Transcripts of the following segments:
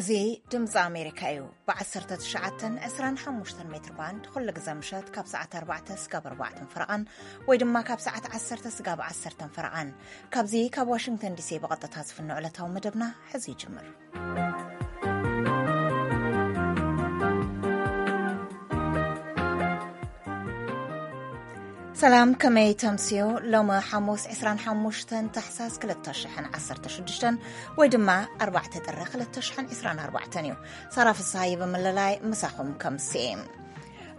እዚ ድምፂ ኣሜሪካ እዩ። ብ19፣ 25 ሜትር ባንድ ኩሉ ግዜ ምሸት ካብ ሰዓት ኣርባዕተ ስጋብ ኣርባዕተን ፈረቓን ወይ ድማ ካብ ሰዓት ዓሰርተ ስጋብ ዓሰርተን ፈረቓን። ካብዚ ካብ ዋሽንግተን ዲሲ ብቐጥታ ዝፍኖ ዕለታዊ መደብና ሕዚ ይጅምር። ሰላም፣ ከመይ ተምስዮ? ሎሚ ሓሙስ ዕስራን ሓሙሽተን ታሕሳስ ክልተ ሽሕን ዓሰርተ ሽዱሽተን ወይ ድማ ኣርባዕተ ጥሪ ክልተ ሽሕን ዕስራን ኣርባዕተን እዩ። ሳራ ፍስሃየ ብምልላይ ምሳኹም ከምስየ።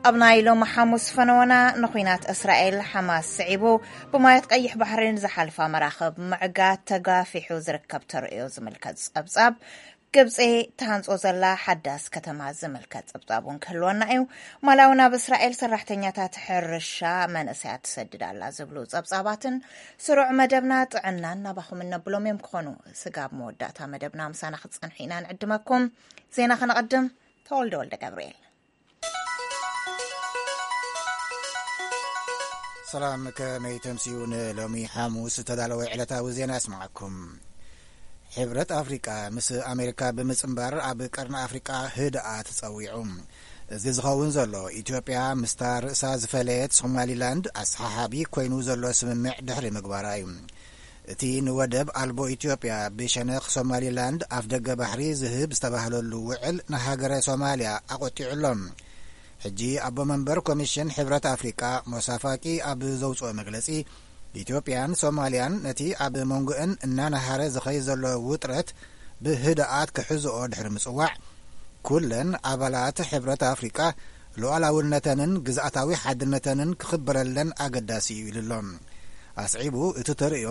ኣብ ናይ ሎሚ ሓሙስ ፈነወና ንኹናት እስራኤል ሓማስ ስዒቡ ብማያት ቀይሕ ባሕሪ ንዝሓልፋ መራኽብ ምዕጋት ተጋፊሑ ዝርከብ ተርእዮ ዝምልከት ጸብጻብ፣ ግብጺ ትሃንጾ ዘላ ሓዳስ ከተማ ዝምልከት ጸብጻብ እውን ክህልወና እዩ። ማላዊ ናብ እስራኤል ሰራሕተኛታት ሕርሻ መንእሰያት ትሰድድ ኣላ ዝብሉ ጸብጻባትን ስሩዕ መደብና ጥዕናን ናባኹም እነብሎም እዮም ክኾኑ። ስጋብ መወዳእታ መደብና ምሳና ክትጸንሑ ኢና ንዕድመኩም። ዜና ከነቐድም። ተወልደ ወልደ ገብርኤል። ሰላም፣ ከመይ ተምስዩ? ንሎሚ ሓሙስ ዝተዳለወ ዕለታዊ ዜና ኣስምዓኩም። ሕብረት ኣፍሪቃ ምስ ኣሜሪካ ብምጽንባር ኣብ ቀርኒ ኣፍሪቃ ህድኣት ጸዊዑ። እዚ ዝኸውን ዘሎ ኢትዮጵያ ምስታ ርእሳ ዝፈለየት ሶማሊላንድ ኣሰሓሓቢ ኮይኑ ዘሎ ስምምዕ ድሕሪ ምግባራ እዩ። እቲ ንወደብ ኣልቦ ኢትዮጵያ ብሸነኽ ሶማሊላንድ ኣፍደገ ባሕሪ ዝህብ ዝተባህለሉ ውዕል ንሃገረ ሶማልያ ኣቖጢዑ ኣሎ። ሕጂ ኣቦ መንበር ኮሚሽን ሕብረት ኣፍሪቃ ሞሳ ፋቂ ኣብ ዘውፅኦ መግለፂ፣ ኢትዮጵያን ሶማልያን ነቲ ኣብ መንጎአን እናነሃረ ዝኸይድ ዘሎ ውጥረት ብህድኣት ክሕዝኦ ድሕሪ ምፅዋዕ፣ ኩለን ኣባላት ሕብረት ኣፍሪቃ ሉዓላውነተንን ግዝኣታዊ ሓድነተንን ክኽበረለን ኣገዳሲ እዩ ኢሉ ኣሎ። ኣስዒቡ፣ እቲ ተርእዮ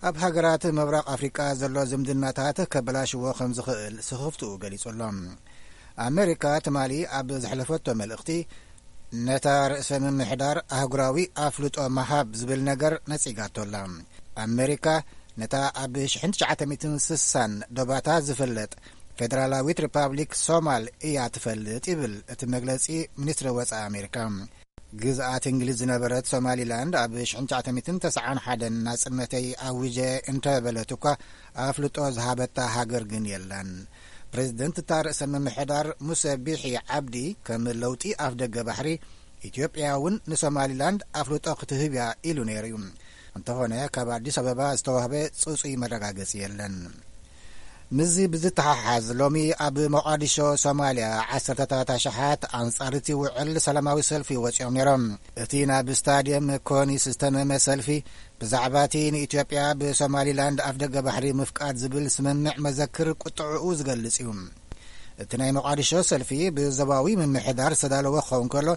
ኣብ ሃገራት ምብራቕ ኣፍሪቃ ዘሎ ዝምድናታት ከበላሽዎ ከም ዝኽእል ስኽፍትኡ ገሊጹ ኣሎ። ኣሜሪካ ትማሊ ኣብ ዘሕለፈቶ መልእኽቲ፣ ነታ ርእሰ ምምሕዳር ኣህጉራዊ ኣፍልጦ ምሃብ ዝብል ነገር ነጺጋቶ ኣላ። ኣሜሪካ ነታ ኣብ ሽሕን ትሽዓተ ሚእትን ስሳን ዶባታ ዝፍለጥ ፌደራላዊት ሪፓብሊክ ሶማል እያ ትፈልጥ ይብል እቲ መግለጺ ሚኒስትሪ ወጻኢ ኣሜሪካ። ግዝኣት እንግሊዝ ዝነበረት ሶማሊላንድ ኣብ ሽሕን ትሽዓተ ሚእትን ተስዓን ሓደን ናጽነተይ ኣዊጀ እንተበለት እኳ ኣፍልጦ ዝሃበታ ሃገር ግን የላን። ፕሬዚደንት እታ ርእሰ ምምሕዳር ሙሰ ቢሒ ዓብዲ ከም ለውጢ ኣፍደገ ባሕሪ ኢትዮጵያ እውን ንሶማሊላንድ ኣፍልጦ ክትህብ እያ ኢሉ ነይሩ እዩ። እንተኾነ ካብ ኣዲስ ኣበባ ዝተዋህበ ጽጹይ መረጋገጺ የለን። ምስዚ ብዝተሓሓዝ ሎሚ ኣብ ሞቓዲሾ ሶማልያ ዓሰርተታት ኣሽሓት ኣንጻር እቲ ውዕል ሰላማዊ ሰልፊ ወጺኦም ነይሮም። እቲ ናብ ስታድየም ኮኒስ ዝተመመ ሰልፊ ብዛዕባ እቲ ንኢትዮጵያ ብሶማሊላንድ ኣፍደገ ባሕሪ ምፍቃድ ዝብል ስምምዕ መዘክር ቁጥዕኡ ዝገልጽ እዩ። እቲ ናይ ሞቓዲሾ ሰልፊ ብዞባዊ ምምሕዳር ዝተዳለወ ክኸውን ከሎ፣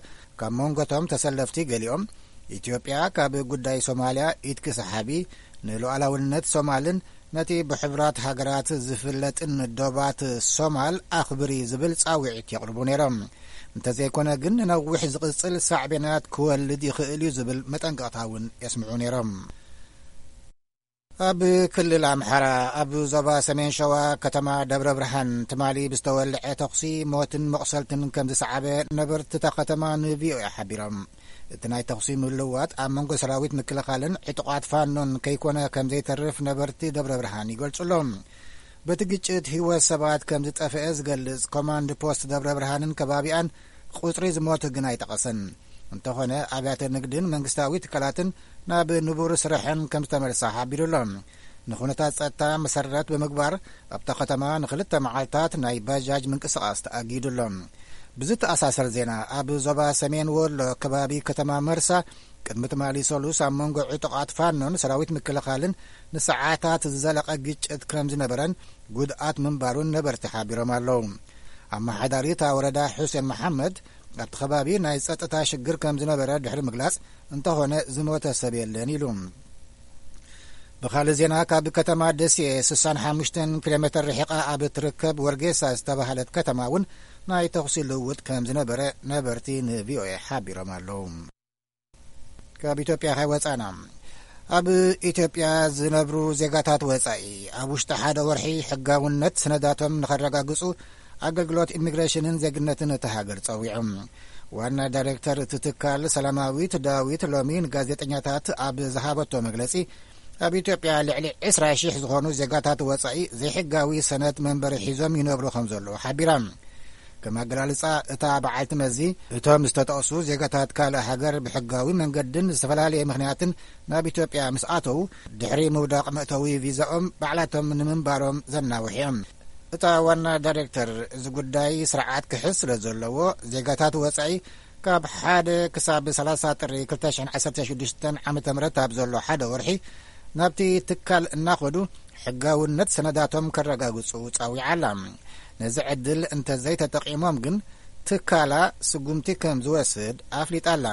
ካብ መንጎቶም ተሰለፍቲ ገሊኦም፣ ኢትዮጵያ ካብ ጉዳይ ሶማልያ ኢድ ክሰሓቢ፣ ንሉዓላውነት ሶማልን ነቲ ብሕቡራት ሃገራት ዝፍለጥን ዶባት ሶማል ኣኽብሪ ዝብል ጻውዒት የቕርቡ ነይሮም። እንተዘይኮነ ግን ንነዊሕ ዝቕጽል ሳዕቤናት ክወልድ ይኽእል እዩ ዝብል መጠንቀቕታ እውን የስምዑ ነይሮም። ኣብ ክልል ኣምሓራ ኣብ ዞባ ሰሜን ሸዋ ከተማ ደብረ ብርሃን ትማሊ ብዝተወልዐ ተኹሲ ሞትን መቑሰልትን ከም ዝሰዓበ ነበርቲ እታ ከተማ ንቪኦኤ ሓቢሮም። እቲ ናይ ተኹሲ ምልውዋጥ ኣብ መንጎ ሰራዊት ምክልኻልን ዕጡቓት ፋኖን ከይኮነ ከም ዘይተርፍ ነበርቲ ደብረ ብርሃን ይገልጹ ኣለዉ። በቲ ግጭት ህይወት ሰባት ከም ዝጠፍአ ዝገልጽ ኮማንድ ፖስት ደብረ ብርሃንን ከባቢኣን ቁጽሪ ዝሞቱ ግን ኣይጠቐሰን። እንተኾነ ኣብያተ ንግድን መንግስታዊ ትካላትን ናብ ንቡር ስርሐን ከም ዝተመልሳ ሓቢሩ ኣሎ። ንኹነታት ጸጥታ መሰረት ብምግባር ኣብታ ከተማ ንኽልተ መዓልታት ናይ ባጃጅ ምንቅስቓስ ተኣጊዱ ኣሎ። ብዝተኣሳሰር ዜና፣ ኣብ ዞባ ሰሜን ወሎ ከባቢ ከተማ መርሳ ቅድሚ ትማሊ ሰሉስ ኣብ መንጎ ዕጡቓት ፋኖን ሰራዊት ምክልኻልን ንሰዓታት ዝዘለቐ ግጭት ከም ዝነበረን ጉድኣት ምንባሩን ነበርቲ ሓቢሮም ኣለዉ። ኣመሓዳሪ እታ ወረዳ ሑሴን መሓመድ ኣብቲ ከባቢ ናይ ጸጥታ ሽግር ከም ዝነበረ ድሕሪ ምግላጽ፣ እንተኾነ ዝሞተ ሰብ የለን ኢሉ። ብኻልእ ዜና፣ ካብ ከተማ ደሴ ስሳን ሓሙሽተን ኪሎ ሜትር ርሒቓ ኣብ እትርከብ ወርጌሳ ዝተባህለት ከተማ እውን ናይ ተኹሲ ልውውጥ ከም ዝነበረ ነበርቲ ንቪኦኤ ሓቢሮም ኣለዉ። ካብ ኢትዮጵያ ከይወጻና፣ ኣብ ኢትዮጵያ ዝነብሩ ዜጋታት ወጻኢ ኣብ ውሽጢ ሓደ ወርሒ ሕጋውነት ሰነዳቶም ንኸረጋግጹ ኣገልግሎት ኢሚግሬሽንን ዜግነትን እታ ሃገር ጸዊዖም። ዋና ዳይሬክተር እቲ ትካል ሰላማዊት ዳዊት ሎሚ ንጋዜጠኛታት ኣብ ዝሃበቶ መግለጺ፣ ኣብ ኢትዮጵያ ልዕሊ ዕስራ ሽሕ ዝኾኑ ዜጋታት ወጻኢ ዘይሕጋዊ ሰነድ መንበሪ ሒዞም ይነብሩ ከም ዘለዉ ሓቢራ። ከም ኣገላልጻ እታ በዓልቲ መዚ፣ እቶም ዝተጠቕሱ ዜጋታት ካልእ ሃገር ብሕጋዊ መንገድን ዝተፈላለየ ምኽንያትን ናብ ኢትዮጵያ ምስ ኣተዉ፣ ድሕሪ ምውዳቕ መእተዊ ቪዛኦም ባዕላቶም ንምንባሮም ዘናውሕ እዮም። እታ ዋና ዳይሬክተር፣ እዚ ጉዳይ ስርዓት ክሕዝ ስለ ዘለዎ፣ ዜጋታት ወጻኢ ካብ ሓደ ክሳብ ሰላሳ ጥሪ ክልተ ሽሕን ዓሰርተ ሽዱሽተን ዓመተ ምህረት ኣብ ዘሎ ሓደ ወርሒ ናብቲ ትካል እናኸዱ ሕጋውነት ሰነዳቶም ከረጋግጹ ጸዊዓ ኣላ። ነዚ ዕድል እንተዘይተጠቒሞም ግን ትካላ ስጉምቲ ከም ዝወስድ ኣፍሊጣ ኣላ።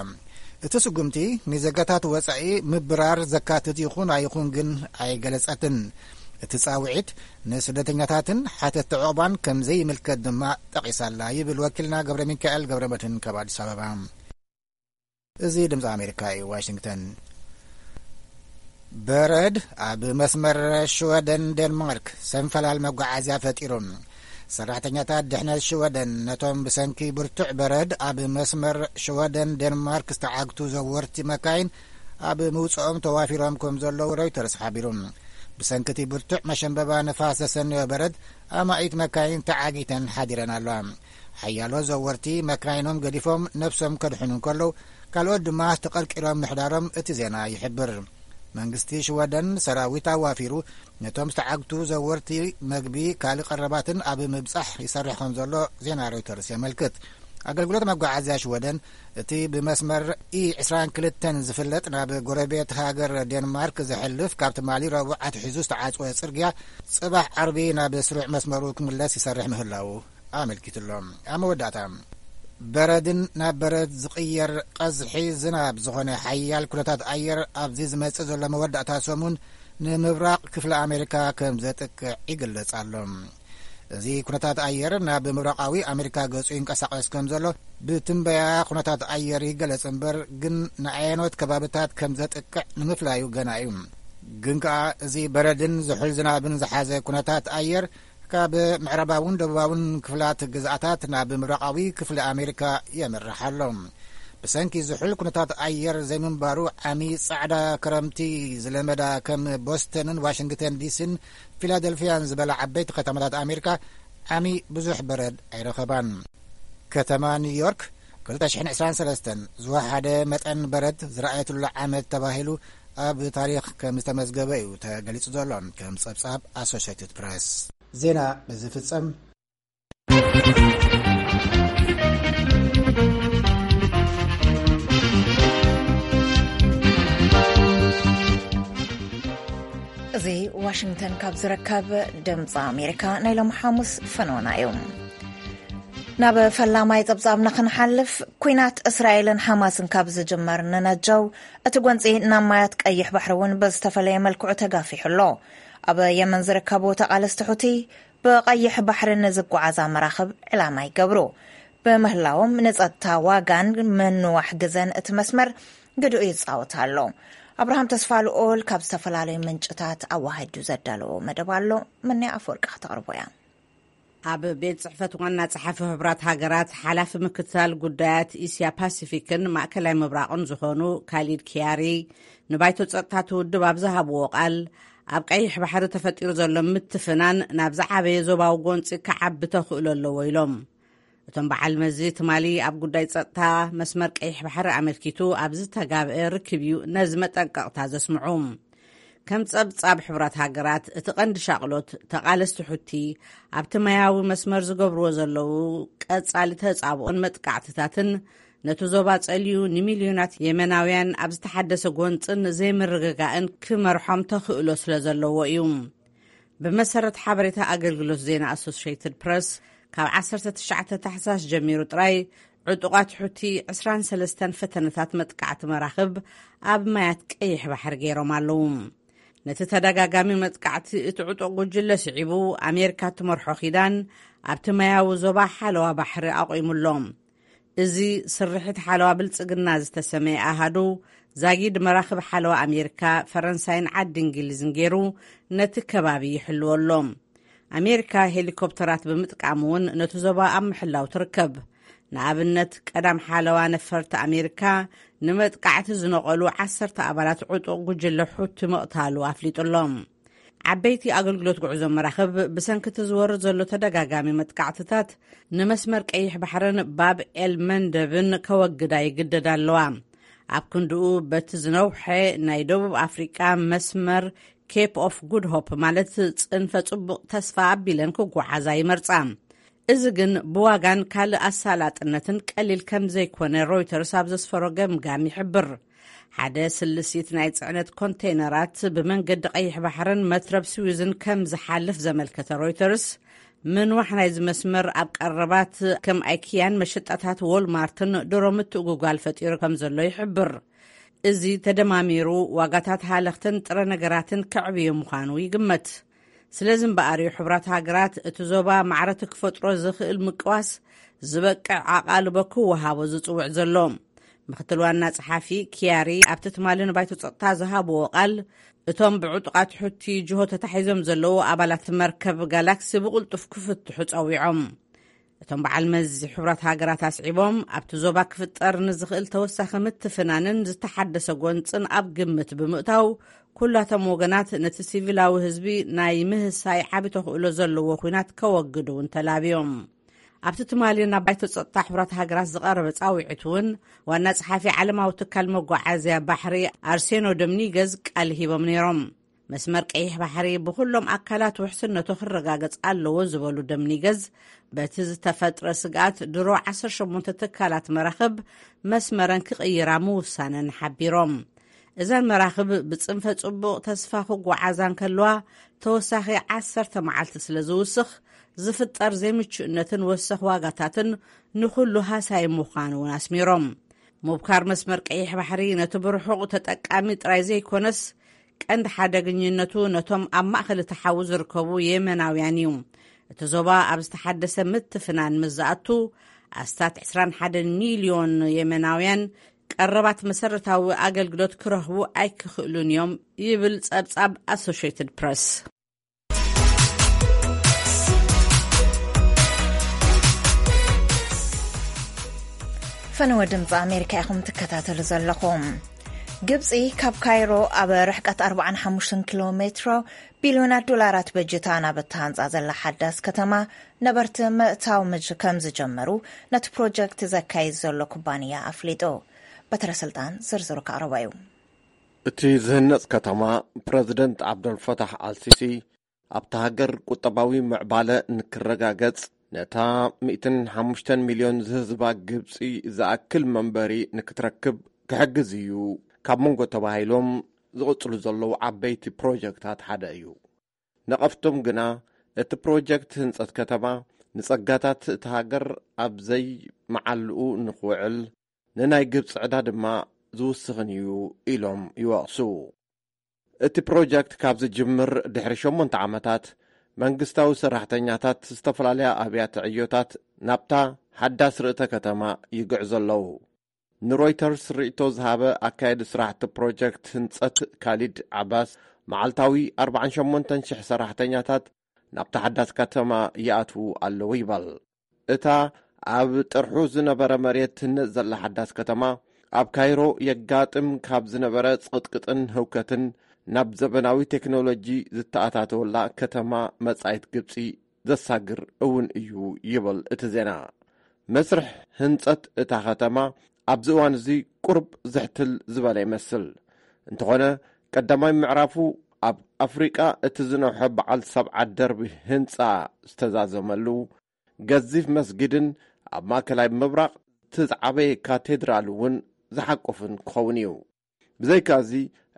እቲ ስጉምቲ ንዜጋታት ወጻኢ ምብራር ዘካትት ይኹን ኣይኹን ግን ኣይገለጸትን። እቲ ጻውዒት ንስደተኛታትን ሓተትቲ ዑቕባን ከም ዘይምልከት ድማ ጠቒሳ ኣላ ይብል ወኪልና ገብረ ሚካኤል ገብረ መድህን ካብ ኣዲስ ኣበባ። እዚ ድምፂ ኣሜሪካ እዩ፣ ዋሽንግተን። በረድ ኣብ መስመር ሽወደን ዴንማርክ ሰንፈላል መጓዓዝያ ፈጢሩ። ሰራሕተኛታት ድሕነት ሽወደን ነቶም ብሰንኪ ብርቱዕ በረድ ኣብ መስመር ሽወደን ዴንማርክ ዝተዓግቱ ዘወርቲ መካይን ኣብ ምውፅኦም ተዋፊሮም ከም ዘለዉ ሮይተርስ ሓቢሩ። ብሰንኪ እቲ ብርቱዕ መሸንበባ ንፋስ ዘሰነዮ በረድ ኣማኢት መካይን ተዓጊተን ሓዲረን ኣለዋ። ሓያሎ ዘወርቲ መካይኖም ገዲፎም ነብሶም ከድሕኑ እንከለዉ፣ ካልኦት ድማ ተቐርቂሮም ምሕዳሮም እቲ ዜና ይሕብር። መንግስቲ ሽወደን ሰራዊት ኣዋፊሩ ነቶም ዝተዓግቱ ዘወርቲ መግቢ፣ ካልእ ቀረባትን ኣብ ምብጻሕ ይሰርሕ ከም ዘሎ ዜና ሮይተርስ የመልክት። ኣገልግሎት መጓዓዝያ ሽወደን፣ እቲ ብመስመር ኢ ዕስራን ክልተን ዝፍለጥ ናብ ጎረቤት ሃገር ዴንማርክ ዘሕልፍ፣ ካብ ትማሊ ረቡዕ ኣትሒዙ ዝተዓጽወ ጽርግያ፣ ጽባሕ ዓርቢ ናብ ስሩዕ መስመሩ ክምለስ ይሰርሕ ምህላዉ ኣመልኪቱ ኣሎ። ኣብ መወዳእታ፣ በረድን ናብ በረድ ዝቕየር ቀዝሒ ዝናብ ዝኾነ ሓያል ኩነታት ኣየር ኣብዚ ዝመጽእ ዘሎ መወዳእታ ሰሙን ንምብራቕ ክፍለ ኣሜሪካ ከም ዘጥቅዕ ይግለጽ ኣሎ። እዚ ኩነታት ኣየር ናብ ምብራቓዊ ኣሜሪካ ገጹ ይንቀሳቐስ ከም ዘሎ ብትንበያ ኩነታት ኣየር ይገለጽ እምበር፣ ግን ንኣየኖት ከባብታት ከም ዘጥቅዕ ንምፍላዩ ገና እዩ። ግን ከኣ፣ እዚ በረድን ዝሑል ዝናብን ዝሓዘ ኩነታት ኣየር ካብ ምዕራባውን ደቡባውን ክፍላት ግዝኣታት ናብ ምብራቓዊ ክፍሊ ኣሜሪካ የምርሕ ኣሎ። ብሰንኪ ዝሑል ኩነታት ኣየር ዘይምንባሩ፣ ዓሚ ጻዕዳ ክረምቲ ዝለመዳ ከም ቦስተንን ዋሽንግተን ዲሲን ፊላደልፊያን ዝበላ ዓበይቲ ከተማታት ኣሜሪካ፣ ዓሚ ብዙሕ በረድ ኣይረኸባን። ከተማ ኒውዮርክ፣ ክልተ ሽሕን ዕስራን ሰለስተን ዝወሓደ መጠን በረድ ዝረኣየትሉ ዓመት ተባሂሉ ኣብ ታሪኽ ከም ዝተመዝገበ እዩ ተገሊጹ ዘሎ፣ ከም ጸብጻብ ኣሶሽየትድ ፕረስ። ዜና በዚ ፍጸም። እዚ ዋሽንግተን ካብ ዝርከብ ድምፂ ኣሜሪካ ናይ ሎም ሓሙስ ፈነወና እዩ። ናብ ፈላማይ ጸብጻብና ክንሓልፍ፣ ኲናት እስራኤልን ሓማስን ካብ ዝጅመር ንነጀው፣ እቲ ጎንጺ ናብ ማያት ቀይሕ ባሕሪ እውን ብዝተፈለየ መልክዑ ተጋፊሑ ኣሎ። ኣብ የመን ዝርከቡ ተቓለስቲ ሑቲ፣ ብቐይሕ ባሕሪ ንዝጓዓዛ መራኽብ ዕላማ ይገብሩ ብምህላዎም፣ ንጸጥታ ዋጋን ምንዋሕ ግዘን እቲ መስመር ግድኡ ይጻወት ኣሎ። ኣብርሃም ተስፋ ልኡል ካብ ዝተፈላለዩ ምንጭታት ኣዋሃዱ ዘዳለዎ መደብ ኣሎ። ምንያ ኣፈወርቂ ከተቕርቦ እያ። ኣብ ቤት ጽሕፈት ዋና ጸሓፊ ሕቡራት ሃገራት ሓላፊ ምክትታል ጉዳያት እስያ ፓሲፊክን ማእከላይ ምብራቕን ዝኾኑ ካሊድ ኪያሪ ንባይቶ ጸጥታ እቲ ውድብ ኣብ ዝሃብዎ ቃል፣ ኣብ ቀይሕ ባሕሪ ተፈጢሩ ዘሎ ምትፍናን ናብ ዝዓበየ ዞባዊ ጎንጺ ክዓቢ ተኽእሎ ኣለዎ ኢሎም። እቶም በዓል መዚ ትማሊ ኣብ ጉዳይ ጸጥታ መስመር ቀይሕ ባሕሪ ኣመልኪቱ ኣብ ዝተጋብአ ርክብ እዩ ነዚ መጠንቀቕታ ዘስምዑ። ከም ጸብጻብ ሕቡራት ሃገራት፣ እቲ ቀንዲ ሻቕሎት ተቓለስቲ ሑቲ ኣብቲ ማያዊ መስመር ዝገብርዎ ዘለዉ ቀጻሊ ተጻብኦን መጥቃዕትታትን፣ ነቲ ዞባ ጸልዩ ንሚልዮናት የመናውያን ኣብ ዝተሓደሰ ጎንጽን ዘይምርግጋእን ክመርሖም ተኽእሎ ስለ ዘለዎ እዩ። ብመሰረት ሓበሬታ ኣገልግሎት ዜና ኣሶሽየትድ ፕረስ፣ ካብ ዓሰርተ ትሽዓተ ታሕሳስ ጀሚሩ ጥራይ ዕጡቓት ሑቲ ዕስራን ሰለስተን ፈተነታት መጥቃዕቲ መራኽብ ኣብ ማያት ቀይሕ ባሕሪ ገይሮም ኣለዉ። ነቲ ተደጋጋሚ መጥቃዕቲ እቲ ዕጡቕ ጉጅለ ስዒቡ፣ ኣሜሪካ እትመርሖ ኪዳን ኣብቲ ማያዊ ዞባ ሓለዋ ባሕሪ ኣቑሙ ኣሎ። እዚ ስርሒት ሓለዋ ብልጽግና ዝተሰመየ ኣሃዱ፣ ዛጊድ መራኽብ ሓለዋ ኣሜሪካ፣ ፈረንሳይን ዓዲ እንግሊዝን ገይሩ ነቲ ከባቢ ይሕልዎ ኣሎ። ኣሜሪካ ሄሊኮፕተራት ብምጥቃም እውን ነቲ ዞባ ኣብ ምሕላው ትርከብ። ንኣብነት፣ ቀዳም ሓለዋ ነፈርቲ ኣሜሪካ ንመጥቃዕቲ ዝነቐሉ ዓሰርተ ኣባላት ዕጡቕ ጉጅለ ሑቲ ምቕታሉ ኣፍሊጡ ኣሎ። ዓበይቲ ኣገልግሎት ጉዕዞ መራኽብ ብሰንኪ እቲ ዝወርድ ዘሎ ተደጋጋሚ መጥቃዕትታት ንመስመር ቀይሕ ባሕርን ባብ ኤል መንደብን ከወግዳ ይግደዳ ኣለዋ። ኣብ ክንድኡ በቲ ዝነውሐ ናይ ደቡብ ኣፍሪቃ መስመር ኬፕ ኦፍ ጉድ ሆፕ ማለት ጽንፈ ጽቡቕ ተስፋ ኣቢለን ክጓዓዛ ይመርጻ። እዚ ግን ብዋጋን ካልእ ኣሳላጥነትን ቀሊል ከም ዘይኮነ ሮይተርስ ኣብ ዘስፈሮ ገምጋም ይሕብር። ሓደ ስልሲት ናይ ጽዕነት ኮንቴይነራት ብመንገዲ ቀይሕ ባሕርን መትረብ ስዊዝን ከም ዝሓልፍ ዘመልከተ ሮይተርስ፣ ምንዋሕ ናይዚ መስመር ኣብ ቀረባት ከም ኣይኪያን መሸጣታት ዎልማርትን ድሮ ምትእጉጓል ፈጢሩ ከም ዘሎ ይሕብር። እዚ ተደማሚሩ ዋጋታት ሃለኽትን ጥረ ነገራትን ከዕብዮ ምዃኑ ይግመት። ስለዚ እምበኣር እዩ ሕቡራት ሃገራት እቲ ዞባ ማዕረቲ ክፈጥሮ ዝኽእል ምቅዋስ ዝበቅዕ ኣቓልቦ ክወሃቦ ዝጽውዕ ዘሎ። ምክትል ዋና ጸሓፊ ኪያሪ ኣብቲ ትማሊ ንባይቶ ጸጥታ ዝሃብዎ ቃል፣ እቶም ብዕጡቓት ሑቲ ጅሆ ተታሒዞም ዘለዉ ኣባላት መርከብ ጋላክሲ ብቕልጡፍ ክፍትሑ ጸዊዖም። እቶም በዓል መዚ ሕቡራት ሃገራት ኣስዒቦም፣ ኣብቲ ዞባ ክፍጠር ንዝኽእል ተወሳኺ ምትፍናንን ዝተሓደሰ ጎንጽን ኣብ ግምት ብምእታው፣ ኩላቶም ወገናት ነቲ ሲቪላዊ ህዝቢ ናይ ምህሳይ ዓቢ ተኽእሎ ዘለዎ ኲናት ከወግዱ እውን ተላብዮም። ኣብቲ ትማሊ ናብ ባይቶ ጸጥታ ሕቡራት ሃገራት ዝቐረበ ጻውዒት እውን፣ ዋና ጸሓፊ ዓለማዊ ትካል መጓዓዝያ ባሕሪ ኣርሴኖ ዶምኒገዝ ቃል ሂቦም ነይሮም። መስመር ቀይሕ ባሕሪ ብኹሎም ኣካላት ውሕስነቱ ክረጋገጽ ኣለዎ ዝበሉ ዶምኒገዝ፣ በቲ ዝተፈጥረ ስግኣት ድሮ ዓሰርተ ሸሞንተ ትካላት መራኽብ መስመረን ክቕይራ ምውሳነን ሓቢሮም። እዘን መራኽብ ብጽንፈ ጽቡቕ ተስፋ ክጓዓዛ እንከለዋ፣ ተወሳኺ ዓሰርተ መዓልቲ ስለ ዝውስኽ፣ ዝፍጠር ዘይምቹእነትን ወሰኽ ዋጋታትን ንኹሉ ሃሳይ ምዃኑ እውን ኣስሚሮም። ምብካር መስመር ቀይሕ ባሕሪ ነቲ ብርሑቕ ተጠቃሚ ጥራይ ዘይኮነስ፣ ቀንዲ ሓደገኝነቱ ነቶም ኣብ ማእከል እቲ ሓዊ ዝርከቡ የመናውያን እዩ። እቲ ዞባ ኣብ ዝተሓደሰ ምትፍናን ምስ ዝኣቱ፣ ኣስታት ዕስራን ሓደን ሚልዮን የመናውያን ቀረባት መሰረታዊ ኣገልግሎት ክረኽቡ ኣይክኽእሉን እዮም፣ ይብል ጸብጻብ ኣሶሽየትድ ፕረስ። ፈነወ ድምፂ ኣሜሪካ ኢኹም ትከታተሉ ዘለኹም። ግብፂ ካብ ካይሮ ኣብ ርሕቀት ኣርባዓን ሓሙሽተን ኪሎ ሜትሮ ቢልዮናት ዶላራት በጅታ ናብ እተሃንፃ ዘላ ሓዳስ ከተማ ነበርቲ ምእታው ምጅ-፣ ከም ዝጀመሩ ነቲ ፕሮጀክት ዘካይድ ዘሎ ኩባንያ ኣፍሊጡ። በትረ ስልጣን ዝርዝሩ ከቕርቦ እዩ። እቲ ዝህነጽ ከተማ፣ ፕረዚደንት ዓብደልፈታሕ ኣልሲሲ፣ ኣብታ ሃገር ቁጠባዊ ምዕባለ ንክረጋገጽ፣ ነታ ሚእትን ሓሙሽተን ሚልዮን ዝህዝባ ግብጺ ዝኣክል መንበሪ ንክትረክብ ክሕግዝ እዩ ካብ መንጎ ተባሂሎም ዝቕጽሉ ዘለዉ ዓበይቲ ፕሮጀክታት ሓደ እዩ። ነቐፍቶም ግና፣ እቲ ፕሮጀክት ህንጸት ከተማ ንጸጋታት እታ ሃገር ኣብ ዘይመዓልኡ ንኽውዕል፣ ንናይ ግብጺ ዕዳ ድማ ዝውስኽን እዩ ኢሎም ይወቕሱ። እቲ ፕሮጀክት ካብ ዝጅምር ድሕሪ ሸሞንተ ዓመታት፣ መንግስታዊ ሰራሕተኛታት ዝተፈላለያ ኣብያተ ዕዮታት ናብታ ሓዳስ ርእተ ከተማ ይግዕዙ ኣለዉ። ንሮይተርስ ርእይቶ ዝሃበ ኣካያዲ ስራሕቲ ፕሮጀክት ህንጸት ካሊድ ዓባስ፣ መዓልታዊ ኣርባዓን ሸሞንተን ሽሕ ሰራሕተኛታት ናብታ ሓዳስ ከተማ ይኣትዉ ኣለዉ ይበል። እታ ኣብ ጥርሑ ዝነበረ መሬት ትህነጽ ዘላ ሓዳስ ከተማ፣ ኣብ ካይሮ የጋጥም ካብ ዝነበረ ጽቕጥቅጥን ህውከትን ናብ ዘበናዊ ቴክኖሎጂ ዝተኣታተወላ ከተማ መጻኢት ግብጺ ዘሳግር እውን እዩ ይብል እቲ ዜና። መስርሕ ህንጸት እታ ከተማ ኣብዚ እዋን እዚ ቁሩብ ዝሕትል ዝበለ ይመስል። እንተኾነ፣ ቀዳማይ ምዕራፉ ኣብ ኣፍሪቃ እቲ ዝነውሐ በዓል ሰብዓ ደርቢ ህንጻ ዝተዛዘመሉ፣ ገዚፍ መስጊድን ኣብ ማእከላይ ምብራቕ እቲ ዝዓበየ ካቴድራል እውን ዝሓቁፍን ክኸውን እዩ። ብዘይካዚ፣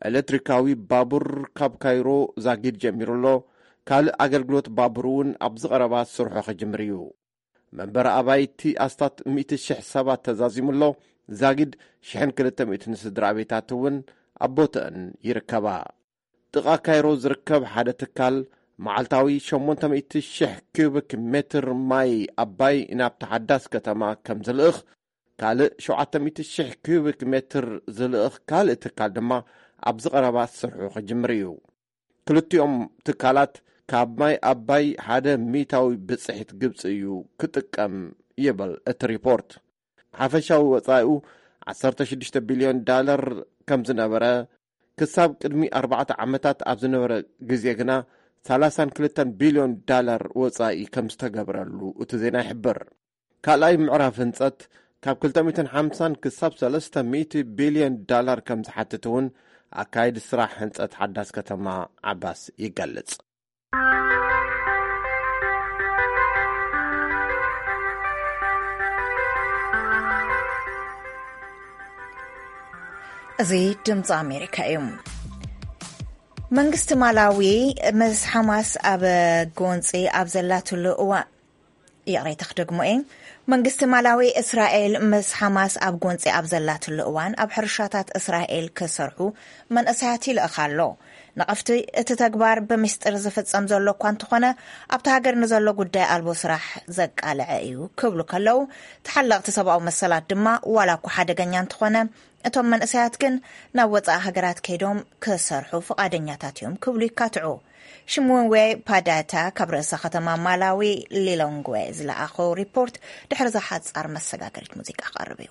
ኤሌክትሪካዊ ባቡር ካብ ካይሮ ዛጊድ ጀሚሩ ኣሎ። ካልእ ኣገልግሎት ባቡር እውን ኣብዚ ቀረባ ስርሑ ክጅምር እዩ። መንበሪ ኣባይቲ ኣስታት ሚእቲ ሽሕ ሰባት ተዛዚሙ ኣሎ። ዛጊድ ሽሕን ክልተ ሚእትን ስድራ ቤታት እውን ኣብ ቦትአን ይርከባ። ጥቓ ካይሮ ዝርከብ ሓደ ትካል፣ መዓልታዊ ሸሞንተ ሚእቲ ሽሕ ኪዩቢክ ሜትር ማይ ኣባይ ናብቲ ሓዳስ ከተማ ከም ዝልእኽ፣ ካልእ ሸውዓተ ሚእቲ ሽሕ ኪዩቢክ ሜትር ዝልእኽ ካልእ ትካል ድማ ኣብዚ ቀረባ ስርሑ ክጅምር እዩ። ክልቲኦም ትካላት ካብ ማይ ኣባይ ሓደ ሚእታዊ ብጽሒት ግብጺ እዩ ክጥቀም ይብል እቲ ሪፖርት። ሓፈሻዊ ወጻኢኡ ዓሰርተ ሽዱሽተ ቢልዮን ዳላር ከም ዝነበረ፣ ክሳብ ቅድሚ ኣርባዕተ ዓመታት ኣብ ዝነበረ ግዜ ግና ሰላሳን ክልተን ቢልዮን ዳላር ወጻኢ ከም ዝተገብረሉ እቲ ዜና ይሕብር። ካልኣይ ምዕራፍ ህንጸት ካብ ክልተ ሚእትን ሓምሳን ክሳብ ሰለስተ ሚእቲ ቢልዮን ዳላር ከም ዝሓትት እውን ኣካይዲ ስራሕ ህንጸት ሓዳስ ከተማ ዓባስ ይገልጽ። እዚ ድምፂ ኣሜሪካ እዩ። መንግስቲ ማላዊ ምስ ሓማስ ኣብ ጎንፂ ኣብ ዘላትሉ እዋን፣ ይቕሬታ ክደግሞ እየ። መንግስቲ ማላዊ፣ እስራኤል ምስ ሓማስ ኣብ ጎንፂ ኣብ ዘላትሉ እዋን ኣብ ሕርሻታት እስራኤል ክሰርሑ መንእሰያት ይልእኽ ኣሎ። ነቐፍቲ፣ እቲ ተግባር ብምስጢር ዝፍጸም ዘሎ እኳ እንተኾነ፣ ኣብቲ ሃገር ንዘሎ ጉዳይ ኣልቦ ስራሕ ዘቃልዐ እዩ ክብሉ ከለዉ፣ ተሓለቕቲ ሰብኣዊ መሰላት ድማ ዋላ እኳ ሓደገኛ እንተኾነ፣ እቶም መንእሰያት ግን ናብ ወጻኢ ሃገራት ከይዶም ክሰርሑ ፍቓደኛታት እዮም ክብሉ ይካትዑ። ሽምወንዌ ፓዳታ ካብ ርእሰ ከተማ ማላዊ ሊሎንግዌ ዝለኣኾ ሪፖርት ድሕሪ እዛ ሓጻር መሰጋገሪት ሙዚቃ ክቐርብ እዩ።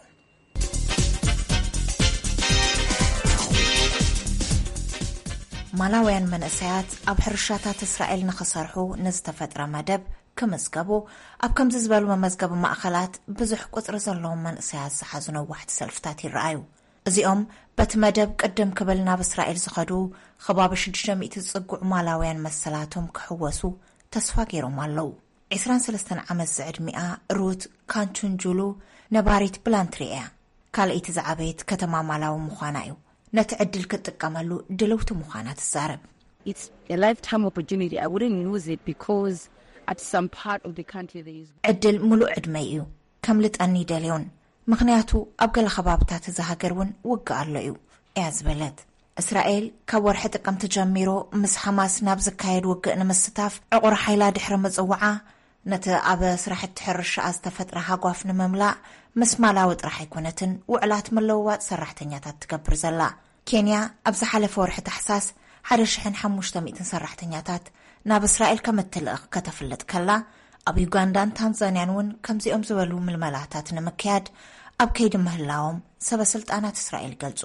ማላውያን መንእሰያት ኣብ ሕርሻታት እስራኤል ንኽሰርሑ ንዝተፈጥረ መደብ ክምዝገቡ ኣብ ከምዚ ዝበሉ መመዝገቢ ማእኸላት ብዙሕ ቁጽሪ ዘለዎም መንእሰያት ዝሓዙ ነዋሕቲ ሰልፍታት ይረኣዩ። እዚኦም በቲ መደብ ቅድም ክብል ናብ እስራኤል ዝኸዱ ከባቢ ሽዱሽተ ሚእቲ ዝጽግዑ ማላውያን መሰላቶም ክሕወሱ ተስፋ ገይሮም ኣለዉ። ዕስራን ሰለስተን ዓመት ዝዕድሚኣ ሩት ካንቹንጁሉ ነባሪት ብላንትሪ እያ። ካልኣይቲ ዝዓበየት ከተማ ማላዊ ምዃና እዩ። ነቲ ዕድል ክትጥቀመሉ ድልውቲ ምዃና ትዛረብ። It's a lifetime opportunity. I wouldn't lose it because at some part of the country there is ዕድል ምሉእ ዕድመይ እዩ። ከምልጠኒ ይደልዮን፣ ምኽንያቱ ኣብ ገለ ከባብታት እዛ ሃገር እውን ውግእ ኣሎ እዩ እያ ዝበለት። እስራኤል ካብ ወርሒ ጥቅምቲ ጀሚሩ ምስ ሓማስ ናብ ዝካየድ ውግእ ንምስታፍ ዕቑር ሓይላ ድሕሪ ምጽዋዓ፣ ነቲ ኣብ ስራሕቲ ሕርሻኣ ዝተፈጥረ ሃጓፍ ንምምላእ ምስ ማላዊ ጥራሕ ኣይኮነትን ውዕላት ምልውዋጥ ሰራሕተኛታት ትገብር ዘላ። ኬንያ ኣብ ዝሓለፈ ወርሒ ታሕሳስ ሓደ ሽሕን ሓሙሽተ ሚእትን ሰራሕተኛታት ናብ እስራኤል ከም እትልእኽ ከተፍልጥ ከላ፣ ኣብ ዩጋንዳን ታንዛንያን እውን ከምዚኦም ዝበሉ ምልመላታት ንምክያድ ኣብ ከይዲ ምህላዎም ሰበ ስልጣናት እስራኤል ይገልጹ።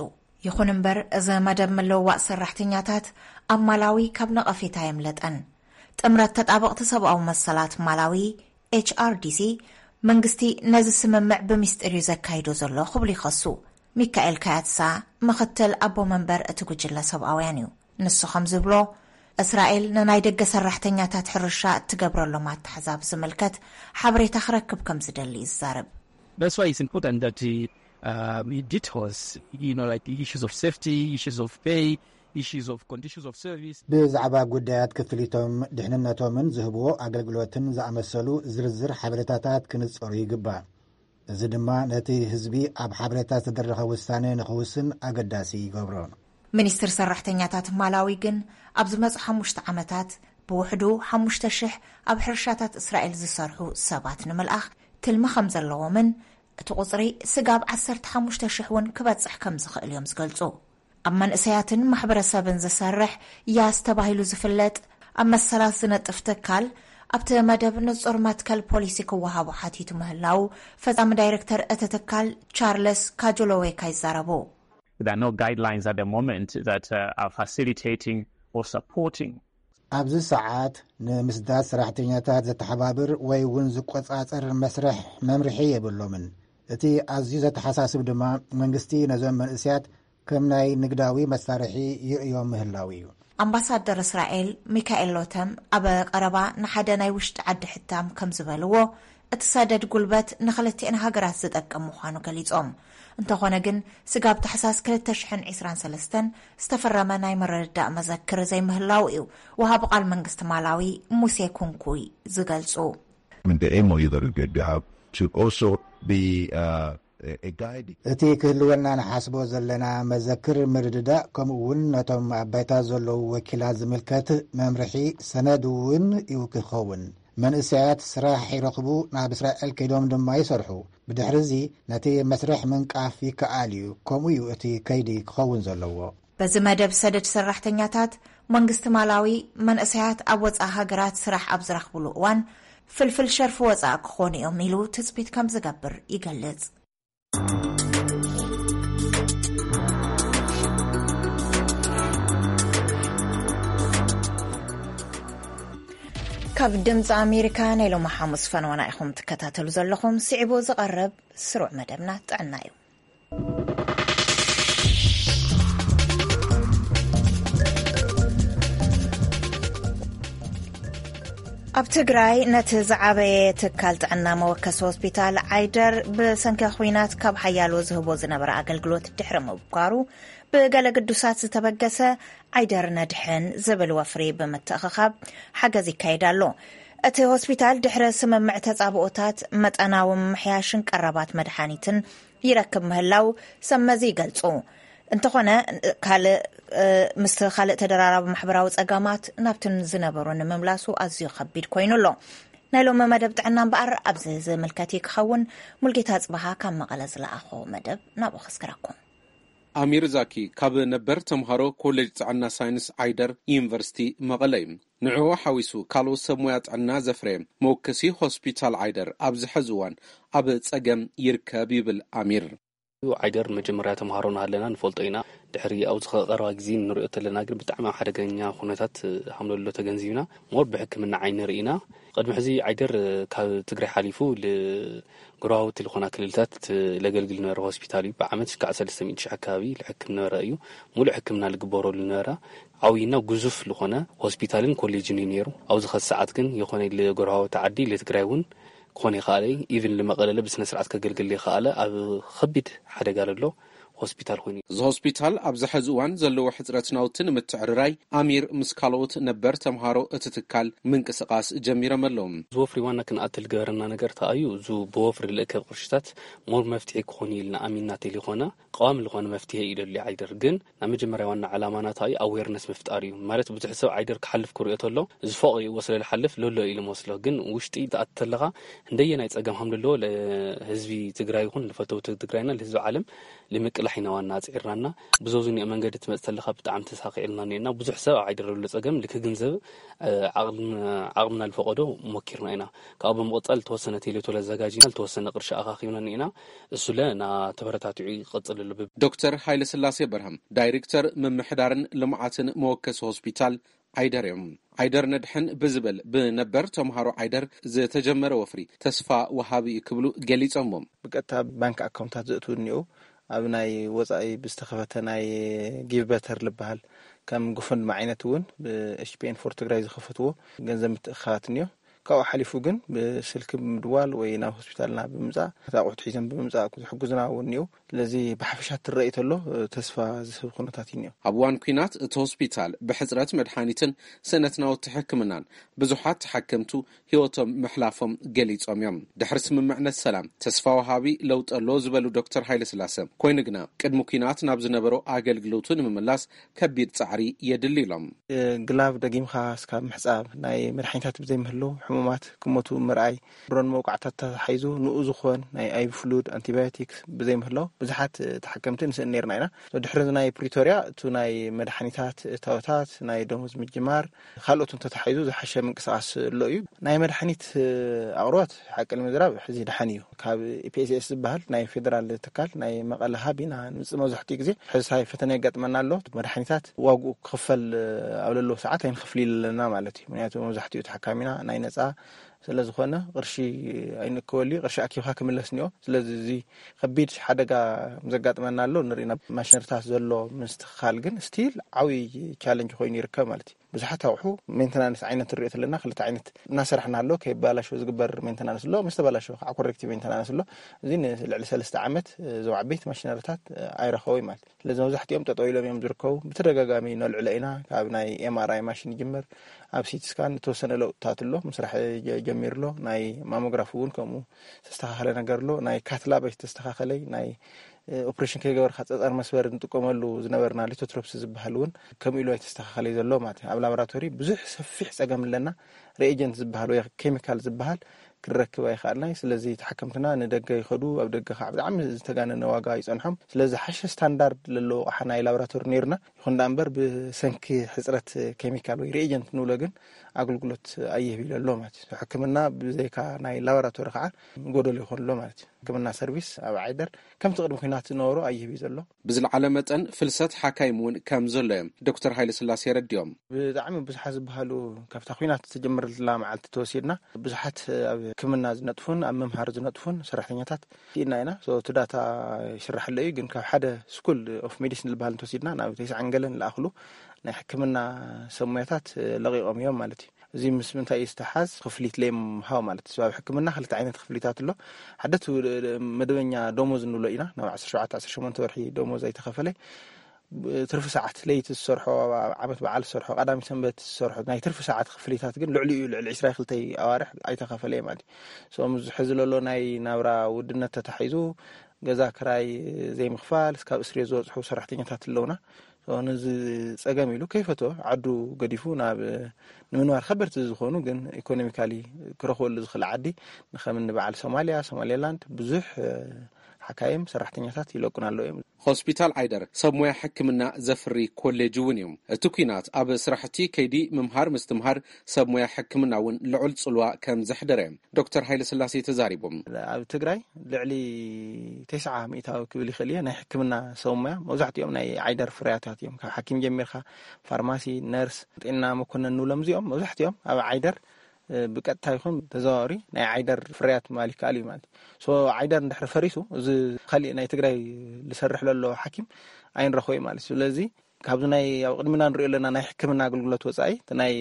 ይኹን እምበር፣ እዚ መደብ ምልውዋጥ ሰራሕተኛታት ኣብ ማላዊ ካብ ነቐፌታ የምለጠን። ጥምረት ተጣበቕቲ ሰብኣዊ መሰላት ማላዊ፣ ኤች ኣር ዲ ሲ፣ መንግስቲ ነዚ ስምምዕ ብምስጢር እዩ ዘካይዶ ዘሎ ክብሉ ይኸሱ። ሚካኤል ካያትሳ ምኽትል ኣቦ መንበር እቲ ጉጅለ ሰብኣውያን እዩ። ንሱ ከም ዝብሎ፣ እስራኤል ንናይ ደገ ሰራሕተኛታት ሕርሻ እትገብረሎም ኣተሓዛ ብዝምልከት ሓበሬታ ክረክብ ከም ዝደሊ ይዛረብ። That's why it's important that uh, um, it details, you know, like the issues of safety, issues of pay, issues of conditions of service. ብዛዕባ ጉዳያት ክፍሊቶም፣ ድሕንነቶምን ዝህብዎ ኣገልግሎትን ዝኣመሰሉ ዝርዝር ሓበሬታታት ክንጸሩ ይግባእ። እዚ ድማ ነቲ ህዝቢ ኣብ ሓበሬታ ዝተደረኸ ውሳነ ንኽውስን ኣገዳሲ ይገብሮ። ሚኒስትር ሰራሕተኛታት ማላዊ ግን ኣብ ዝመጹ ሓሙሽተ ዓመታት ብውሕዱ ሓሙሽተ ሽሕ ኣብ ሕርሻታት እስራኤል ዝሰርሑ ሰባት ንምልኣኽ ትልሚ ከም ዘለዎምን እቲ ቁጽሪ ስጋብ ዓሰርተ ሓሙሽተ ሽሕ እውን ክበጽሕ ከም ዝኽእል እዮም ዝገልጹ። ኣብ መንእሰያትን ማሕበረሰብን ዝሰርሕ ያስ ተባሂሉ ዝፍለጥ ኣብ መሰላት ዝነጥፍ ትካል ኣብቲ መደብ ንጹር መትከል ፖሊሲ ክወሃቦ ሓቲቱ ምህላው ፈጻሚ ዳይሬክተር እቲ ትካል ቻርለስ ካጆሎዌካ ይዛረቡ። There are no guidelines at the moment that uh, are facilitating or supporting ኣብዚ ሰዓት ንምስዳድ ሰራሕተኛታት ዘተሓባብር ወይ እውን ዝቆጻጸር መስርሕ መምርሒ የብሎምን። እቲ ኣዝዩ ዘተሓሳስብ ድማ መንግስቲ ነዞም መንእስያት ከም ናይ ንግዳዊ መሳርሒ ይርእዮም ምህላው እዩ። ኣምባሳደር እስራኤል ሚካኤል ሎተም ኣብ ቀረባ ንሓደ ናይ ውሽጢ ዓዲ ሕታም ከም ዝበልዎ፣ እቲ ሰደድ ጉልበት ንኽልቲኤን ሃገራት ዝጠቅም ምዃኑ ገሊጾም። እንተኾነ ግን፣ ስጋብ ታሕሳስ ክልተ ሽሕን ዕስራን ሰለስተን ዝተፈረመ ናይ ምርድዳእ መዘክር ዘይምህላው እዩ ወሃቢ ቃል መንግስቲ ማላዊ ሙሴ ኩንኩይ ዝገልጹ። I mean, the M O U that we get, we have should also be uh, a, a guide. እቲ ክህልወና ንሓስቦ ዘለና መዘክር ምርድዳእ፣ ከምኡ እውን ነቶም ኣብ ባይታ ዘለዉ ወኪላት ዝምልከት መምርሒ ሰነድ እውን እዩ ክኸውን። መንእሰያት ስራሕ ይረኽቡ፣ ናብ እስራኤል ከይዶም ድማ ይሰርሑ። ብድሕሪ እዚ ነቲ መስርሕ ምንቃፍ ይከኣል እዩ። ከምኡ እዩ እቲ ከይዲ ክኸውን ዘለዎ። በዚ መደብ ሰደድ ሰራሕተኛታት፣ መንግስቲ ማላዊ መንእሰያት ኣብ ወጻኢ ሃገራት ስራሕ ኣብ ዝረኽብሉ እዋን ፍልፍል ሸርፊ ወጻኢ ክኾኑ እዮም ኢሉ ትጽቢት ከም ዝገብር ይገልጽ። ካብ ድምፂ ኣሜሪካ ናይ ሎሚ ሓሙስ ፈነወና ኢኹም ትከታተሉ ዘለኹም። ስዒቡ ዝቐርብ ስሩዕ መደብና ጥዕና እዩ። ኣብ ትግራይ ነቲ ዝዓበየ ትካል ጥዕና መወከሲ ሆስፒታል ዓይደር ብሰንኪ ኹናት ካብ ሓያሎ ዝህቦ ዝነበረ ኣገልግሎት ድሕሪ ምብኳሩ ብገለ ግዱሳት ዝተበገሰ ዓይደር ነድሕን ዝብል ወፍሪ ብምትእኽኻብ ሓገዝ ይካየድ ኣሎ። እቲ ሆስፒታል ድሕሪ ስምምዕ ተጻብኦታት መጠናዊ ምምሕያሽን ቀረባት መድሓኒትን ይረክብ ምህላው ሰብ መዚ ይገልጹ። እንተኾነ ካልእ ምስቲ ካልእ ተደራራቢ ማሕበራዊ ጸገማት ናብትን ዝነበሩ ንምምላሱ ኣዝዩ ከቢድ ኮይኑ ኣሎ። ናይ ሎሚ መደብ ጥዕና እምበኣር ኣብዚ ዝምልከት እዩ ክኸውን። ሙልጌታ ጽባሃ ካብ መቐለ ዝለኣኾ መደብ ናብኡ ከስክረኩም። ኣሚር ዛኪ ካብ ነበር ተምሃሮ ኮሌጅ ጥዕና ሳይንስ ዓይደር ዩኒቨርሲቲ መቐለ እዩ። ንዕኡ ሓዊሱ ካልኦት ሰብ ሞያ ጥዕና ዘፍረየ መወከሲ ሆስፒታል ዓይደር ኣብዚ ሕዚ እዋን ኣብ ጸገም ይርከብ ይብል ኣሚር። ዓይደር መጀመርያ ተምሃሮ ናሃለና ንፈልጦ ኢና። ድሕሪ ኣብዚ ቀረባ ግዜ ንሪኦ ተለና ግን ብጣዕሚ ኣብ ሓደገኛ ኩነታት ሃምለሎ ተገንዚብና። ሞር ብሕክምና ዓይኒ ርኢና። ቅድሚ ሕዚ ዓይደር ካብ ትግራይ ሓሊፉ ጎረባብቲ ዝኾና ክልልታት ለገልግል ነበረ ሆስፒታል እዩ። ብዓመት ክሳዕ ሰለስተ ሚእቲ ሺሕ ኣካባቢ ልሕክም ነበረ እዩ። ሙሉእ ሕክምና ልግበረሉ ነበረ። ዓብይና ጉዙፍ ዝኾነ ሆስፒታልን ኮሌጅን እዩ ነይሩ። ኣብዚ ኸዚ ሰዓት ግን የኾነ ልጎረባብቲ ዓዲ ልትግራይ እውን ክኾን ይኸኣለ እዩ። ኢቭን ልመቐለለ ብስነ ስርዓት ከገልግል ይኸኣለ ኣብ ኸቢድ ሓደጋ ለሎ ሆስፒታል ኮይኑ እዩ። እዚ ሆስፒታል ኣብዚ ሕዚ እዋን ዘለዎ ሕፅረት ናውቲ ንምትዕርራይ ኣሚር ምስ ካልኦት ነበር ተምሃሮ እቲ ትካል ምንቅስቓስ ጀሚሮም ኣለዉ። ዝወፍሪ ዋና ክንኣትል ገበረና ነገር ተኣዩ። እዙ ብወፍሪ ልእከብ ቅርሽታት ሞር መፍትሒ ክኾን እዩ ኢልና ኣሚንና ቴሌኮና ቀዋሚ ዝኾነ መፍትሒ እዩ ደሊ ዓይደር ግን ናብ መጀመርያ ዋና ዓላማና ተኣዩ ኣዌርነስ ምፍጣር እዩ። ማለት ብዙሕ ሰብ ዓይደር ክሓልፍ ክሪኦ ተሎ እዚ ፎቕ ይእዎ ስለ ልሓልፍ ለሎ ኢሉ መስሎ ግን ውሽጢ ተኣትተለኻ እንደየ ናይ ጸገም ሃምልሎ ህዝቢ ትግራይ ይኹን ልፈተውቲ ትግራይና ልህዝቢ ዓለም ልምቅላሕ ኢና ዋና ኣጽዒርናና። ብዞዙ ኒኦ መንገዲ ትመጽእ ተለኻ ብጣዕሚ ተሳኺዕልና ኒና ብዙሕ ሰብ ኣብ ዓይደር ዘሎ ጸገም ልክግንዘብ ዓቕምና ልፈቐዶ ሞኪርና ኢና። ካብኡ ብምቕጻል ልተወሰነ ቴሌቶ ለዘጋጅና ልተወሰነ ቅርሺ ኣኻኺብና ኒና። እሱለ ና ተበረታቲዑ ይቐጽል ኣሎ። ዶክተር ሃይለስላሴ በርሀም ዳይሬክተር ምምሕዳርን ልምዓትን መወከሲ ሆስፒታል ዓይደር እዮም። ዓይደር ነድሕን ብዝብል ብነበር ተምሃሮ ዓይደር ዝተጀመረ ወፍሪ ተስፋ ወሃቢ እዩ ክብሉ ገሊጾሞ። ብቀጥታ ባንክ ኣካውንታት ዘእትው እኒኦ ኣብ ናይ ወፃኢ ብዝተኸፈተ ናይ ጊቭ በተር ልበሃል ከም ጉፈንድሚ ዓይነት እውን ብኤችፒኤን ፎር ትግራይ ዝኸፈትዎ ገንዘብ ምትእኻባት እኒኦ። ካብኡ ሓሊፉ ግን ብስልኪ ብምድዋል ወይ ናብ ሆስፒታልና ብምምፃእ ነቲ ኣቑሑት ሒዞም ብምምፃእ ዝሕግዙና እውን እኒኦ። ስለዚ ብሓፈሻ ትረኢ ተሎ ተስፋ ዝህብ ኩነታት እዩ እኒኦ። ኣብ እዋን ኲናት እቲ ሆስፒታል ብሕፅረት መድሓኒትን ስእነት ናውቲ ሕክምናን ብዙሓት ተሓከምቱ ህይወቶም ምሕላፎም ገሊፆም እዮም። ድሕሪ ስምምዕነት ሰላም ተስፋ ወሃቢ ለውጢ ኣሎ ዝበሉ ዶክተር ሃይለስላሰ፣ ኮይኑ ግና ቅድሚ ኲናት ናብ ዝነበሮ ኣገልግሎቱ ንምምላስ ከቢድ ፃዕሪ የድሊ ኢሎም። ግላቭ ደጊምካ እስካብ ምሕፃብ፣ ናይ መድሓኒታት ብዘይምህሉ ሕሙማት ክሞቱ ምርኣይ፣ ድሮን መውቃዕታት ተታሒዙ ንኡ ዝኾን ናይ ኣይቪ ፍሉድ፣ ኣንቲባዮቲክስ ብዘይምህላው ብዙሓት ተሓከምቲ ንስእን ነይርና ኢና። ድሕሪ ናይ ፕሪቶርያ እቱ ናይ መድሓኒታት እታወታት፣ ናይ ደሞዝ ምጅማር፣ ካልኦትን ተታሒዙ ዝሓሸ ምንቅስቃስ ኣሎ እዩ። ናይ መድሓኒት ኣቕርቦት ሓቂ ንምዝራብ ሕዚ ደሓን እዩ። ካብ ኢፒኤስኤስ ዝበሃል ናይ ፌደራል ትካል ናይ መቐለ ሃብ ኢና ንምፅእ። መብዛሕትኡ ግዜ ሕዚ ሳይ ፈተነ የጋጥመና ኣሎ። መድሓኒታት ዋግኡ ክኽፈል ኣብ ለለዎ ሰዓት ኣይንኸፍል ኣለና ማለት እዩ። ምክንያቱ መብዛሕትኡ ተሓካሚና ናይ ነፃ ስለ ዝኾነ ቅርሺ ኣይንእከበሉ እዩ። ቅርሺ ኣኪብካ ክምለስ እኒኦ። ስለዚ እዚ ከቢድ ሓደጋ ዘጋጥመና ኣሎ። ንርኢ ናብ ማሽነሪታት ዘሎ ምስትኽኻል ግን ስቲል ዓብዪ ቻለንጅ ኮይኑ ይርከብ ማለት እዩ። ብዙሓት ኣቑሑ ሜንተናንስ ዓይነት ንሪኦ ተለና ክልተ ዓይነት እናሰራሕና ኣሎ። ከይበላሾ ዝግበር ሜንተናንስ ኣሎ፣ ምስ ተበላሾ ከዓ ኮሬክቲቭ ሜንተናንስ ኣሎ። እዚ ንልዕሊ ሰለስተ ዓመት እዞም ዓበይቲ ማሽነሪታት ኣይረኸቡ ማለት እዩ። ስለዚ መብዛሕትኦም ጠጠው ኢሎም እዮም ዝርከቡ። ብተደጋጋሚ ነልዕሎ ኢና። ካብ ናይ ኤምኣርኣይ ማሽን ይጅምር፣ ኣብ ሲቲ ስካን ዝተወሰነ ለውጥታት ኣሎ፣ ምስራሕ ጀሚሩ ኣሎ። ናይ ማሞግራፍ እውን ከምኡ ዝተስተኻኸለ ነገር ኣሎ። ናይ ካትላብ ኣይተስተኻኸለይ፣ ናይ ኦፕሬሽን ከይገበርካ ፀፀር መስበር ንጥቀመሉ ዝነበርና ሊቶትሮፕስ ዝበሃል እውን ከምኡ ኢሉ ኣይተስተኻኸለይ ዘሎ ማለት እዩ። ኣብ ላቦራቶሪ ብዙሕ ሰፊሕ ፀገም ኣለና። ሪኤጀንት ዝበሃል ወይ ኬሚካል ዝበሃል ክንረክብ ኣይኸኣልናይ። ስለዚ ተሓከምትና ንደገ ይኸዱ፣ ኣብ ደገ ከዓ ብጣዕሚ ዝተጋነነ ዋጋ ይፀንሖም። ስለዚ ሓሸ ስታንዳርድ ለለዎ ኣቕሓ ናይ ላቦራቶሪ ነይርና። ይኹን ደኣ እምበር ብሰንኪ ሕፅረት ኬሚካል ወይ ሪኤጀንት ንብሎ ግን ኣገልግሎት ኣይህብ ኢሉ ኣሎ ማለት እዩ። ሕክምና ብዘይካ ናይ ላቦራቶሪ ከዓ ጎደሎ ይኾን ኣሎ ማለት እዩ። ሕክምና ሰርቪስ ኣብ ዓይደር ከምቲ ቅድሚ ኩናት ዝነበሩ ኣይህብ እዩ ዘሎ። ብዝለዓለ መጠን ፍልሰት ሓካይም እውን ከም ዘሎ እዮም ዶክተር ሃይለ ስላሴ የረድኦም። ብጣዕሚ ብዙሓት ዝበሃሉ ካብታ ኩናት ዝተጀመረላ መዓልቲ ተወሲድና ብዙሓት ኣብ ሕክምና ዝነጥፉን ኣብ ምምሃር ዝነጥፉን ሰራሕተኛታት ኢና ኢና። እቲ ዳታ ይስራሕለ እዩ፣ ግን ካብ ሓደ ስኩል ኦፍ ሜዲሲን ዝበሃል እንተወሲድና ናብ ተስዓን ገለን ለኣኽሉ ናይ ሕክምና ሰሙያታት ለቂቖም እዮም ማለት እዩ። እዚ ምስ ምንታይ እዩ ዝተሓዝ? ክፍሊት ለይምሃብ ማለት እዩ። ኣብ ሕክምና ክልተ ዓይነት ክፍሊታት ኣሎ። ሓደ እቲ መደበኛ ደሞዝ ንብሎ ኢና፣ ናብ ዓሰርተ ሸውዓተ ዓሰርተ ሸሞንተ ወርሒ ደሞዝ ኣይተኸፈለ። ትርፊ ሰዓት ለይቲ ዝሰርሖ፣ ኣብ ዓመት በዓል ዝሰርሖ፣ ቀዳሚ ሰንበት ዝሰርሖ ናይ ትርፊ ሰዓት ክፍሊታት ግን ልዕሊኡ ልዕሊ ዕስራ ክልተ ኣዋርሕ ኣይተኸፈለ ማለት እዩ። ሶ፣ ምስ ሕዚ ዘሎ ናይ ናብራ ውድነት ተታሒዙ ገዛ ክራይ ዘይምኽፋል እስካብ እስሪ ዝበፅሑ ሰራሕተኛታት ኣለውና። ሶ፣ ነዚ ፀገም ኢሉ ከይፈቶ ዓዱ ገዲፉ ናብ ንምንባር ከበድቲ ዝኾኑ ግን ኢኮኖሚካሊ ክረኽበሉ ዝኽእል ዓዲ ንከምኒ በዓል ሶማሊያ፣ ሶማሌላንድ ብዙሕ ሓካይም ሰራሕተኛታት ይለቁን ኣለዉ እዮም። ሆስፒታል ዓይደር ሰብ ሞያ ሕክምና ዘፍሪ ኮሌጅ እውን እዩ። እቲ ኲናት ኣብ ስራሕቲ ከይዲ ምምሃር ምስትምሃር ሰብ ሞያ ሕክምና እውን ልዑል ጽልዋ ከም ዘሕደረ ዶክተር ሃይለ ስላሴ ተዛሪቦም። ኣብ ትግራይ ልዕሊ ተስዓ ሚእታዊ ክብል ይኽእል እየ ናይ ሕክምና ሰብ ሞያ መብዛሕትኦም ናይ ዓይደር ፍርያታት እዮም። ካብ ሓኪም ጀሚርካ ፋርማሲ፣ ነርስ፣ ጤና መኮነን ንብሎም እዚኦም መብዛሕትኦም ኣብ ዓይደር ብቀጥታ ይኹን ተዘዋዋሪ ናይ ዓይደር ፍርያት ምባል ይከኣል እዩ ማለት እዩ። ሶ ዓይደር እንድሕር ፈሪሱ እዚ ካሊእ ናይ ትግራይ ዝሰርሕ ለሎ ሓኪም ኣይንረኽቦ እዩ ማለት እዩ። ስለዚ ካብዚ ናይ ኣብ ቅድሚና ንሪኦ ኣለና ናይ ሕክምና ኣገልግሎት ወፃኢ እቲ ናይ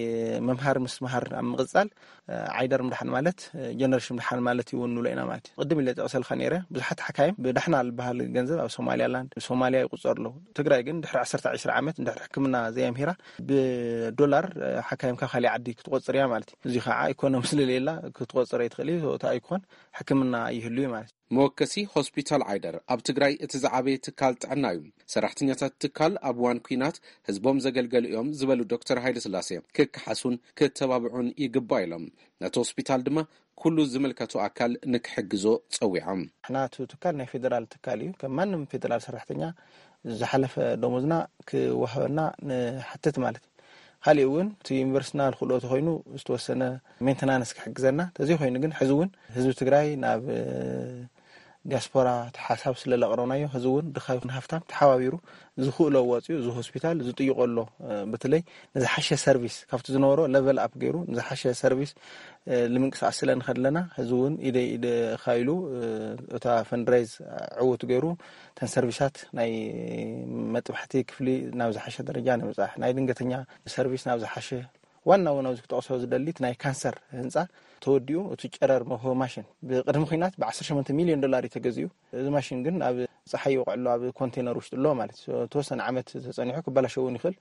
ምምሃር ምስትምሃር ኣብ ምቕፃል ዓይደር ምድሓን ማለት ጀነሬሽን ምድሓን ማለት እዩ እውን ንብሎ ኢና ማለት እዩ። ቅድም ኢለ ጠቕሰልካ ነይረ ብዙሓት ሓካይም ብዳሕና ዝበሃል ገንዘብ ኣብ ሶማሊያላንድ ሶማሊያ ይቁፀሩ ኣለዉ። ትግራይ ግን ድሕሪ ዓሰርተ ዕስራ ዓመት እንድሕር ሕክምና ዘየምሂራ ብዶላር ሓካይም ካብ ካሊእ ዓዲ ክትቆፅር እያ ማለት እዩ። እዚ ከዓ ኢኮኖሚ ስለሌላ ክትቆፅር ኣይትኽእል እዩ። እታ ኣይኮን ሕክምና ይህሉ እዩ ማለት እዩ። መወከሲ ሆስፒታል ዓይደር ኣብ ትግራይ እቲ ዝዓበየ ትካል ጥዕና እዩ። ሰራሕተኛታት ትካል ኣብ እዋን ኲናት ህዝቦም ዘገልገሉ እዮም ዝበሉ ዶክተር ሃይለ ስላሴ ክከሓሱን ክተባብዑን ይግባእ ኢሎም። ነቲ ሆስፒታል ድማ ኩሉ ዝምልከቶ ኣካል ንክሕግዞ ጸዊዖም። ንሕና እቲ ትካል ናይ ፌደራል ትካል እዩ። ከም ማንም ፌደራል ሰራሕተኛ ዝሓለፈ ደሞዝና ክወሃበና ንሓትት ማለት እዩ። ካሊእ እውን እቲ ዩኒቨርሲቲና ዝኽእሎ ተኮይኑ ዝተወሰነ ሜንተናንስ ክሕግዘና፣ ተዘይኮይኑ ግን ሕዚ እውን ህዝቢ ትግራይ ናብ ዲያስፖራ እቲ ሓሳብ ስለ ለቕረብናዮ፣ ህዝቢ እውን ድኻ ይኹን ሃፍታም ተሓባቢሩ ዝኽእሎ ኣዋፂኡ እዚ ሆስፒታል ዝጥይቆ ኣሎ። በተለይ ንዝሓሸ ሰርቪስ ካብቲ ዝነበሮ ለቨል ኣፕ ገይሩ ንዝሓሸ ሰርቪስ ንምንቅስቃስ ስለ ንኸድለና ህዝቢ እውን ኢደ ኢደ ኢሉ እታ ፈንድሬዝ ዕውት ገይሩ እተን ሰርቪሳት ናይ መጥባሕቲ ክፍሊ ናብ ዝሓሸ ደረጃ ንምብፃሕ፣ ናይ ድንገተኛ ሰርቪስ ናብ ዝሓሸ፣ ዋና እውን ኣብዚ ክጠቕሶ ዝደሊ እቲ ናይ ካንሰር ህንፃ ተወዲኡ እቲ ጨረር መውሃቢ ማሽን ብቅድሚ ኩናት ብ ዓሰርተ ሸሞንተ ሚልዮን ዶላር እዩ ተገዚኡ። እዚ ማሽን ግን ኣብ ፀሓይ ይወቕዕ ኣሎ፣ ኣብ ኮንቴነር ውሽጢ ኣሎ ማለት እዩ። ተወሰነ ዓመት ተፀኒሑ ክበላሸው እውን ይኽእል።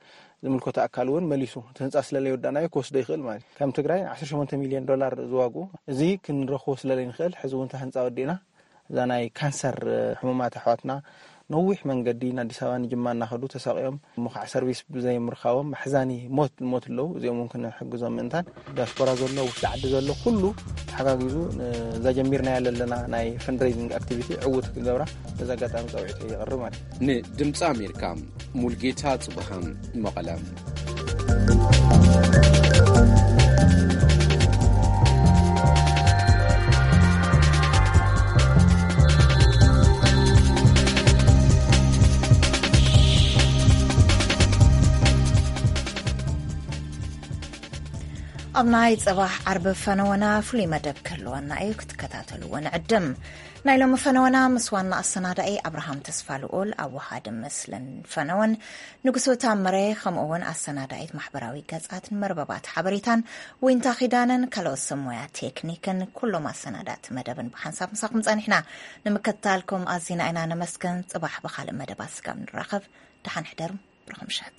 ዝምልከቶ ኣካል እውን መሊሱ እቲ ህንፃ ስለለይወዳእናዮ ክወስዶ ይኽእል ማለት እዩ። ከም ትግራይ ዓሰርተ ሸሞንተ ሚልዮን ዶላር ዝዋግኡ እዚ ክንረኽቦ ስለለይንኽእል ሕዚ እውን እታ ህንፃ ወዲእና እዛ ናይ ካንሰር ሕሙማት ኣሕዋትና ነዊሕ መንገዲ ንኣዲስ ኣበባ ንጅማ እናኸዱ ተሳቂዮም እሞ ከዓ ሰርቪስ ብዘይምርካቦም ኣሕዛኒ ሞት ዝሞት ኣለዉ። እዚኦም እውን ክንሕግዞም ምእንታን ዲያስፖራ ዘሎ ውሽጢ ዓዲ ዘሎ ኩሉ ተሓጋጊዙ እዛ ጀሚርናያ ዘለና ናይ ፈንድሬዚንግ ኣክቲቪቲ ዕውት ክገብራ በዚ ኣጋጣሚ ፃውዒት የቕርብ ማለት እዩ። ንድምፂ ኣሜሪካ ሙልጌታ ጽቡሃን መቐለ። ኣብ ናይ ጽባሕ ዓርቢ ፈነወና ፍሉይ መደብ ክህልወና እዩ፣ ክትከታተልዎ ንዕድም። ናይ ሎሚ ፈነወና ምስ ዋና ኣሰናዳኢ ኣብርሃም ተስፋ ልኡል፣ ኣወሃዲ ምስልን ፈነወን ንጉሱ ታምረ፣ ከምኡ እውን ኣሰናዳኢት ማሕበራዊ ገጻትን መርበባት ሓበሬታን ዊንታ ኪዳነን ካልኦት ሰብ ሞያ ቴክኒክን ኩሎም ኣሰናዳእቲ መደብን ብሓንሳብ ምሳኹም ጸኒሕና። ንምክትታልኩም ኣዚና ኢና ነመስግን። ጽባሕ ብኻልእ መደባት ስጋብ ንራኸብ ደሓን ሕደሩ። ብሩኽ ምሸት።